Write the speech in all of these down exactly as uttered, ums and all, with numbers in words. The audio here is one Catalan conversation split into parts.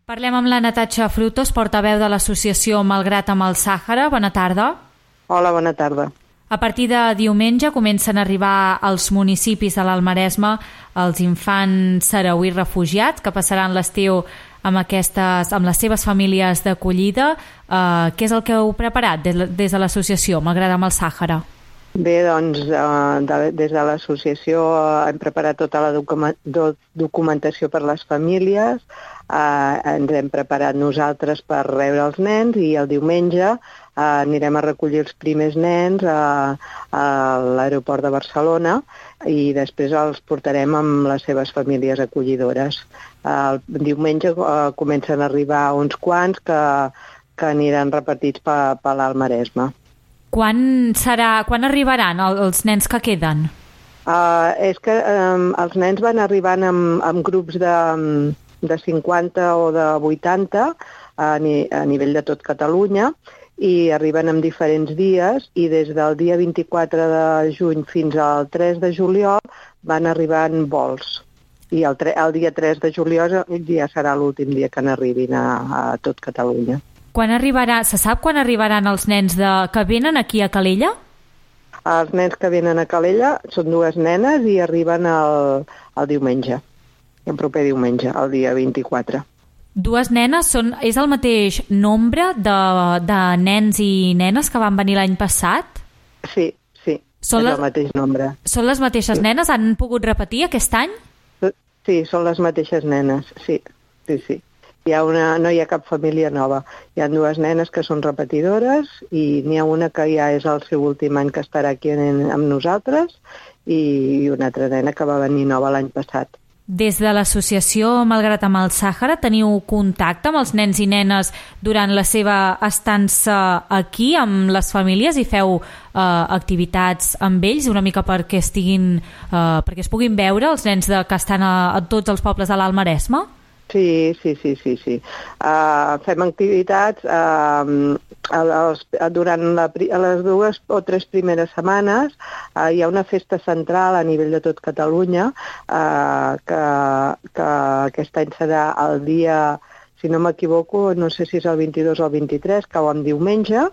Parlem amb la Natasha Frutos, portaveu de l'associació Malgrat amb el Sàhara. Bona tarda. Hola, bona tarda. A partir de diumenge comencen a arribar als municipis de l'Alt Maresme els infants sarauís refugiats que passaran l'estiu amb, aquestes, amb les seves famílies d'acollida. Eh, què és el que heu preparat des, des de l'associació Malgrat amb el Sàhara? Bé, doncs, eh, de, des de l'associació hem preparat tota la documa, do, documentació per les famílies, eh, ens hem preparat nosaltres per rebre els nens i el diumenge eh, anirem a recollir els primers nens a, a l'aeroport de Barcelona i després els portarem amb les seves famílies acollidores. El diumenge eh, comencen a arribar uns quants que, que aniran repartits per, per l'Alt Maresme. Quan, serà, quan arribaran els nens que queden? Uh, és que um, els nens van arribant amb, amb grups de, de cinquanta o de vuitanta a, ni, a nivell de tot Catalunya i arriben en diferents dies i des del dia vint-i-quatre de juny fins al tres de juliol van arribant vols. I el, tre, el dia tres de juliol ja serà l'últim dia que n'arribin a, a tot Catalunya. Quan arribarà, se sap quan arribaran els nens de, que venen aquí a Calella? Els nens que venen a Calella són dues nenes i arriben el, el diumenge, el proper diumenge, el dia vint-i-quatre. Dues nenes, són, és el mateix nombre de, de nens i nenes que van venir l'any passat? Sí, sí, són és les, el mateix nombre. Són les mateixes sí. nenes? Han pogut repetir aquest any? Sí, són les mateixes nenes, sí, sí, sí. Hi ha una, no hi ha cap família nova. Hi ha dues nenes que són repetidores i n'hi ha una que ja és el seu últim any que estarà aquí en, amb nosaltres i una altra nena que va venir nova l'any passat. Des de l'associació Malgrat amb el Sàhara teniu contacte amb els nens i nenes durant la seva estança aquí amb les famílies i feu eh, activitats amb ells una mica perquè estiguin eh, perquè es puguin veure els nens de, que estan a, a tots els pobles de l'Alt Maresme? Sí, sí, sí, sí, sí. Uh, fem activitats uh, als, durant la, les dues o tres primeres setmanes. Uh, hi ha una festa central a nivell de tot Catalunya uh, que, que aquest any serà el dia, si no m'equivoco, no sé si és el vint-i-dos o el vint-i-tres, cau en diumenge,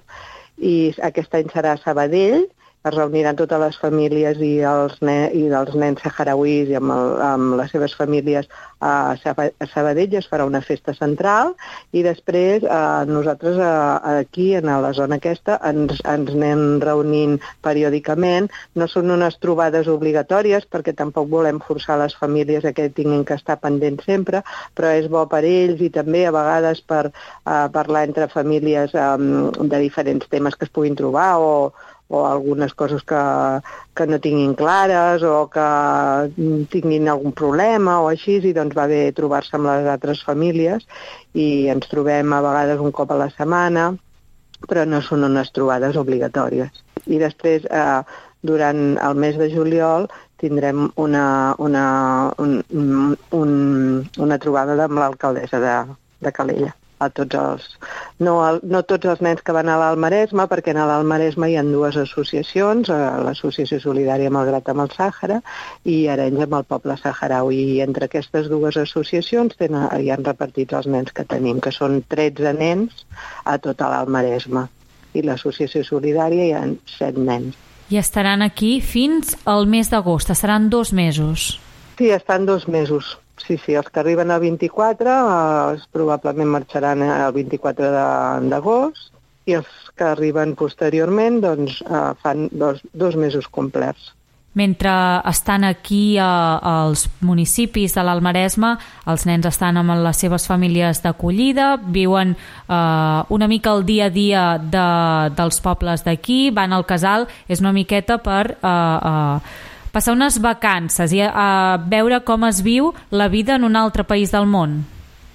i aquest any serà a Sabadell. Es reuniran totes les famílies i els, ne i els nens saharauís i amb, el, amb les seves famílies a Sabadell. Es farà una festa central i després eh, nosaltres eh, aquí, en la zona aquesta, ens, ens anem reunint periòdicament. No són unes trobades obligatòries perquè tampoc volem forçar les famílies a que tinguin que estar pendents sempre, però és bo per ells i també a vegades per eh, parlar entre famílies eh, de diferents temes que es puguin trobar o o algunes coses que, que no tinguin clares o que tinguin algun problema o així, i doncs va bé trobar-se amb les altres famílies i ens trobem a vegades un cop a la setmana, però no són unes trobades obligatòries. I després, eh, durant el mes de juliol, tindrem una, una, un, un, una trobada amb l'alcaldessa de, de Calella. A tots els, no, no tots els nens que van a l'Alt Maresme, perquè a l'Alt Maresme hi ha dues associacions, l'Associació Solidària Malgrat amb el Sàhara i Arenys amb el poble saharaui. I entre aquestes dues associacions tenen, hi han repartits els nens que tenim, que són tretze nens a tot l'Alt Maresme. I l'Associació Solidària hi ha set nens. I estaran aquí fins al mes d'agost, estaran dos mesos. Sí, estan dos mesos. Sí, sí, els que arriben al vint-i-quatre eh, probablement marxaran el vint-i-quatre d'agost i els que arriben posteriorment doncs, eh, fan dos, dos mesos complets. Mentre estan aquí eh, als municipis de l'Alt Maresme, els nens estan amb les seves famílies d'acollida, viuen eh, una mica el dia a dia de, dels pobles d'aquí, van al casal, és una miqueta per... Eh, eh, passar unes vacances i a veure com es viu la vida en un altre país del món.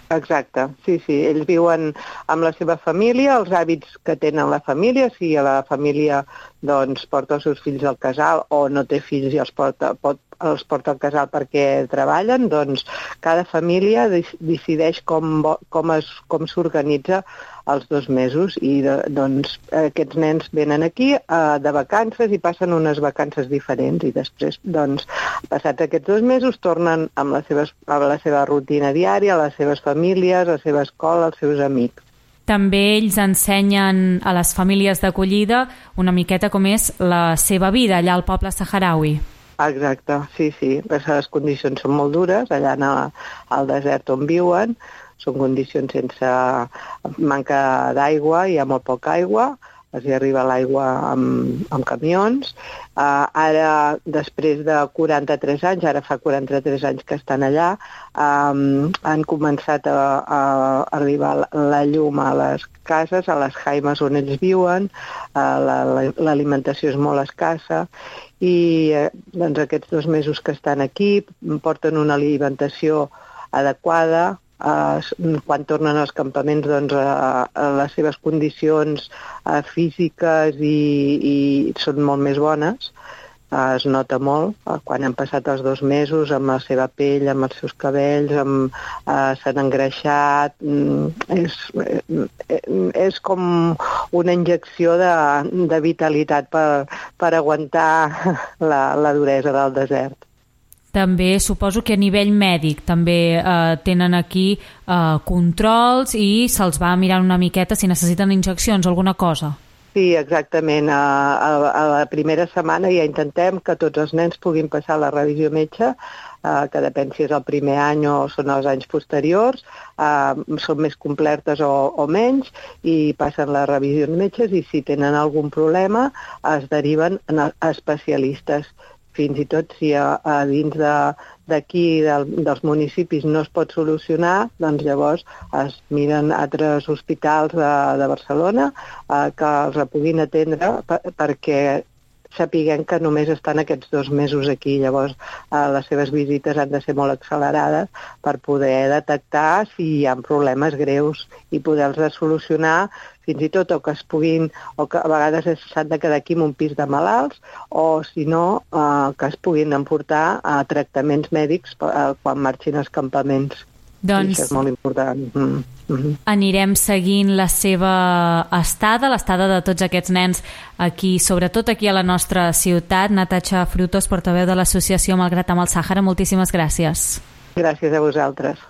Exacte, sí, sí. Ells viuen amb la seva família, els hàbits que tenen la família, si a la família doncs porta els seus fills al casal o no té fills i els porta, pot, els porta al casal perquè treballen, doncs cada família decideix com, com, es, com s'organitza els dos mesos i de, doncs aquests nens venen aquí eh, de vacances i passen unes vacances diferents i després, doncs, passats aquests dos mesos tornen amb les seves, amb la seva rutina diària, les seves famílies, la seva escola, els seus amics. També ells ensenyen a les famílies d'acollida una miqueta com és la seva vida allà al poble saharaui. Exacte, sí, sí, perquè les condicions són molt dures allà a, al desert on viuen, són condicions sense manca d'aigua, hi ha molt poca aigua, els hi arriba l'aigua amb, amb camions. Uh, ara, després de quaranta-tres anys, ara fa quaranta-tres anys que estan allà, um, han començat a, a arribar la, la llum a les cases, a les jaimes on ells viuen, uh, l'alimentació és molt escassa i uh, doncs aquests dos mesos que estan aquí porten una alimentació adequada. Uh, quan tornen als campaments doncs, uh, uh, les seves condicions uh, físiques i, i són molt més bones, uh, es nota molt uh, quan han passat els dos mesos amb la seva pell, amb els seus cabells, amb, uh, s'han engreixat, mm, és, és com una injecció de, de vitalitat per, per aguantar la, la duresa del desert. També suposo que a nivell mèdic també eh, tenen aquí eh, controls i se'ls va mirar una miqueta si necessiten injeccions o alguna cosa. Sí, exactament. A, a, a la primera setmana ja intentem que tots els nens puguin passar la revisió metge, eh, que depèn si és el primer any o són els anys posteriors, eh, són més completes o, o menys, i passen les revisions metges i si tenen algun problema es deriven a especialistes. Fins i tot si a, a dins d'aquí, de, del, dels municipis, no es pot solucionar, doncs llavors es miren altres hospitals de, de Barcelona eh, que els puguin atendre per, perquè sapiguem que només estan aquests dos mesos aquí. Llavors eh, les seves visites han de ser molt accelerades per poder detectar si hi ha problemes greus i poder-los solucionar, fins i tot o que es puguin, o que a vegades s'han de quedar aquí en un pis de malalts, o si no, eh, que es puguin emportar a tractaments mèdics eh, quan marxin als campaments. Doncs això és molt important. Mm. Mm-hmm. Anirem seguint la seva estada, l'estada de tots aquests nens aquí, sobretot aquí a la nostra ciutat. Natasha Frutos, portaveu de l'associació Malgrat amb el Sàhara, moltíssimes gràcies. Gràcies a vosaltres.